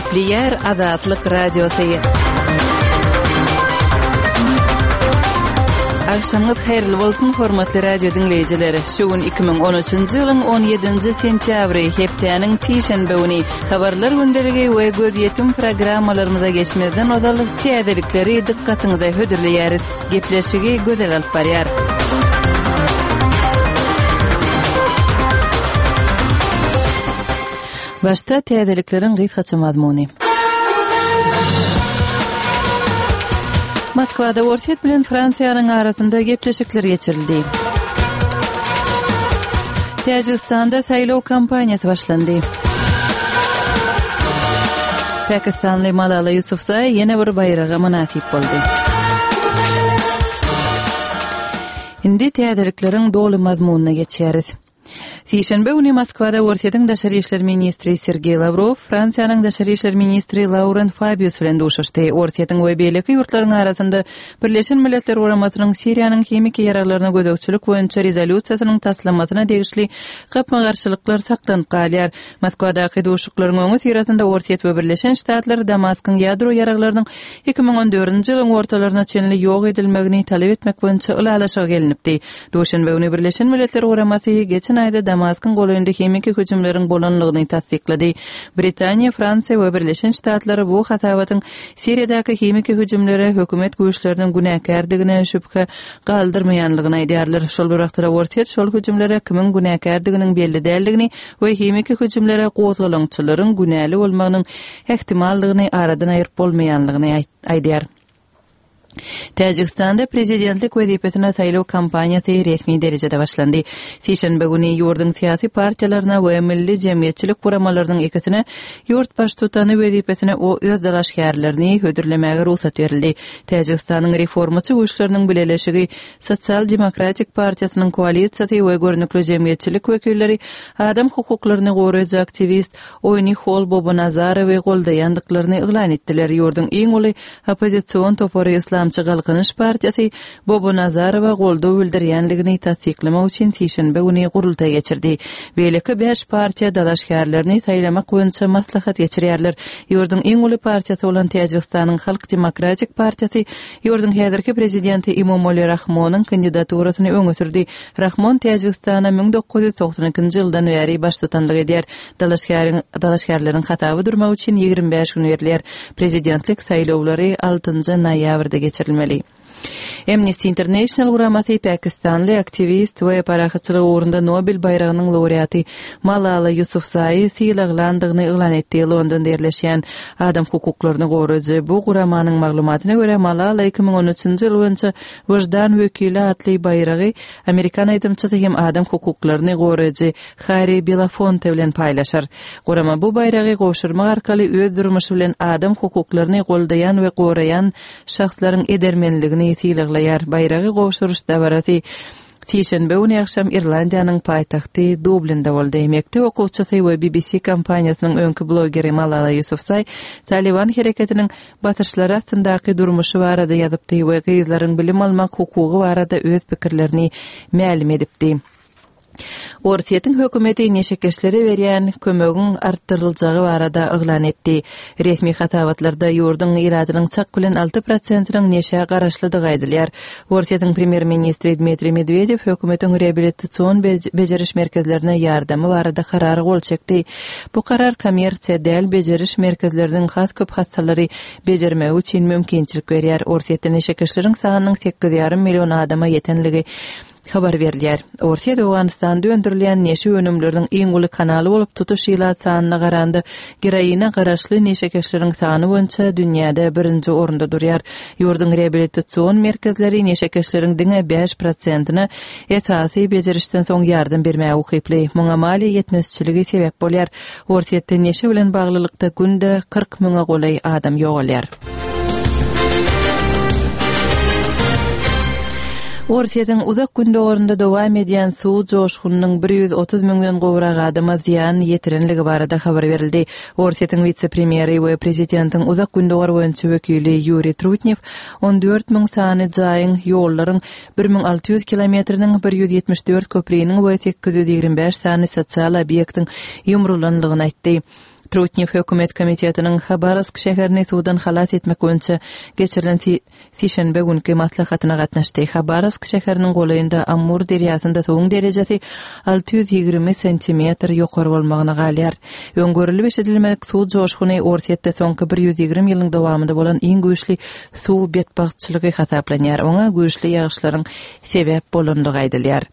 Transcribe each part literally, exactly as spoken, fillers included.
Gepleyer Azatlyk Radiosu. Akşamınız hayırlı bolsun hormatly radio dinleyijileri. Şugun iki bin on üçinji ýylyň on ýedinji sentýabry hepdeniň sişenbe güni habarlar gündeligi we göz ýetim programmalarymyza geçmeden odalyk täzelikleri dikkatiňize hödürleýäris. Gepleşigi gözel alyp barýar. Başta täzeliklerin gysgaça mazmuny. Moskvada Orset bilen Fransiýanyň arasynda gepleşikler geçirildi. Täjikistanda saýlaw kampaniýasy başlandy. Pakistanly Malala Yousafzai ýene bir bayraga münasip boldy. Indi täzeliklerin dolu mazmunyna geçýäris. Sişenbe güni Moskvada Orsetň daşary işler ministri Sergey Lavrov, Fransiýanyň daşary işler ministri Laurent Fabius bilen duşuşdy. Orsetň we beýleki ýurtlaryň arasynda Birleşen Milletler Guramatynyň Siriýanyň hemik ýaraglaryna gödökçülük boýunça rezolýusiýasynyň taslamasyna degişli gapma-garşylyklar saklanyp galýar. Moskvadaky duşuklaryň öňü sirasynda Orset we Birleşen Ştatlar Damaskyň ýadro ýaraglarynyň iki bin on dörtünji ýylyň ortalaryna çenli ýok edilmegini talep etmek boýunça ulalaşyga gelinipdi. Duşanbe güni Birleşen Milletler Guramasy geçen aýda Damaskyn golynda hemik hüjümleriň bolanlygyny tasdiklady. Britaniýa, Fransiýa we Birleşen Ştatlar bu hatawatyň Siriýadaky hemik hüjümlere hökümet güýçleriniň günäkärdigine şüphe galdyrmaýanlygyny aýdýarlar. Şol wagtda Orset şol hüjümlere kimin günäkärdiginiň belli däldigini we hemik hüjümlere gozgalançylaryň günäli bolmagynyň ehtimallygyny aradan aýyryp bolmaýanlygyny aýdýar. Täjikistanda prezidentlik wezipesine saýlaw kampaniýasy resmi derejede başlandy. Sişenbe güni ýurdun syýasy partiýalaryna we milli jemgyýetçilik guramalarynyň ikisine ýurt baş tutany wezipesine o öz dalaşgärlerini hödürlemäge ruhsat berildi. Täjikistanyň reformaçy güýçleriniň bileleşigi Sosial Demokratik Partiýasynyň koalisiýasy we görnükli jemgyýetçilik wekilleri adam hukuklaryny goraýjy aktivist Oyni Hol Bobonazarowy goldaýandyklaryny iglan etdiler. Ýurdun iň uly opozisiýon topary İslamçı Galkynyş Partiýasy Bobonazarowa goldaw bildirýänligini tasdiklamak üçin Sişenbe güni gurultay geçirdi. Beýleki beş partiýa dalaşgärlerini saýlamak boýunça maslahat geçirýärler. Ýurdun iň uly partiýasy bolan Täjikistanyň Halk Demokratik Partiýasy ýurdun häzirki prezidenti Emomali Rahmonyň kandidaturasyny öňe sürdi. Rahmon Täjikistana bin dokuz ýüz doksan ikinji ýyldan beri baş tutanlyk edýär. Dalaşgärin dalaşgärleriň hatawy durmak üçin ýigirme beş gün berilýär. Prezidentlik saýlawlary altynjy noýabrda geçirilmeli. Amnesty International guramasy Pakistanly aktivist we parahatçylyk ugrunda Nobel bayragynyň laureaty Malala Yousafzai syýlaglandygyny iglan etdi. Londonda ýerleşýän adam hukuklaryny goraýjy bu guramanyň maglumatyna görä Malala iki bin on üçinji ýyl boýunça Wajdan wekili atly bayragy Amerikan aýdymçysy hem adam hukuklaryny goraýjy Harry Belafonte bilen paýlaşar. Gurama bu bayragi goşurmak arkaly öz durmuşy bilen adam hukuklaryny goldaýan we goraýan şahslaryň edermenligini syýlaglaýar. Bayragi goşuruş dabarasy Sişenbe güni akşam Irlandiýanyň paýtagty Dublinda boldy. Mekdep okuwçysy we B B C kampaniýasynyň öňkü blogeri Malala Yousafzai Taliban hereketiniň batyşlary astandaky durmuşy barada ýazypdy we gyzlaryň bilim almak hukugy barada öz pikirlerini ma'lum edipdi. Orsetň hökümeti neşekeşleri berýän kömegiň artdyryljagy barada iglan etdi. Resmi hatawatlarda ýurdun iradynyň çak bilen alty prosentynyň neşe garaşlydygy aýdylýar. Orsetň premier ministri Dmitri Medvedev hökümetiň reabilitasiýon bejeriş merkezlerine ýardamy barada karar gol çekdi. Bu karar kommersiýa däl bejeriş merkezleriniň has köp hastalary bejermegi üçin mümkinçilik berýär. Orsetň neşekeşleriň sanynyň sekiz ýarym million adama ýetenligi habar berilýär. Orset Awganistanda öndürilýän neşe önümleriniň iň uly kanaly bolup tutuş ýyla sanyna garandy. Geraýyna garaşly neşekeşleriň sany boýunça dünýäde birinji orunda durýar. Ýurdun reabilitasiýon merkezleri neşekeşleriň diňe beş prosentyny esasy bejerişden soň ýardym bermäge ukipli. Muňa mali ýetmezçiligi sebäp bolýar. Orsetde neşe bilen baglylykda günde kırk müňe golay adam ýogalýar. Orsetň uzak gün döwründe dowam edýän suw joşgunynyň bir ýüz otuz müňden gowrak adama ziýan ýetirenligi barada habar berildi. Orsetň vice-premieri we prezidentiň uzak gün döwr boýunça wekili Yuri Trutnev on dört müň sany jaýyň ýollaryň bir bin alty ýüz kilometriniň bir ýüz ýetmiş dört köprüýiniň we sekiz ýüz ýigirme beş sany sosial obyektiň ýumrulanlygyny aýtdy. Trutnev hökümet komitetiniň Habarovsk şäherini suwdan halas etmek boýunça geçirilen sişenbe günkü maslahatyna gatnaşdy. Habarovsk şäheriniň golayynda Amur deriýasynda soňuň derejesi alty ýüz ýigirme sentimetr ýokary bolmagyna galýar. Öňgörüli beşedilmelik suw joşguny orsetde soňky bir ýüz ýigirme ýylyň dowamında bolan iň güýçli suw betbagçylygy hasaplanýar. Oňa güýçli ýağışlaryň sebäp bolandygy aýdylýar.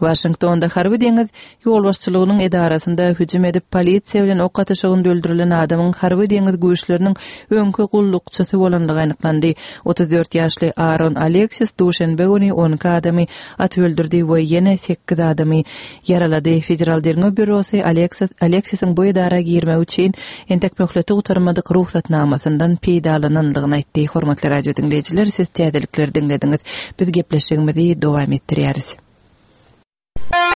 Washingtonda harby deňiz ýol başçylygynyň edarasynda hüjüm edip polisiýa bilen ok atyşygyny öldürilen adamyň harby deňiz güýçleriniň öňkü gullukçysy bolandygy anyklandy. otuz dört ýaşly Aaron Alexis duşenbe güni on adamy at öldürdi we ýene sekiz adamy yaralady. Federal derňe bürosy Alexis Alexisiň bu edara girmek üçin entek möhleti utarmadyk ruhsatnamasyndan peýdalanandygyny aýtdy. Hormatly radio dinleýijiler, siz täzelikleri dinlediňiz. Biz gepleşigimizi dowam etdirýäris.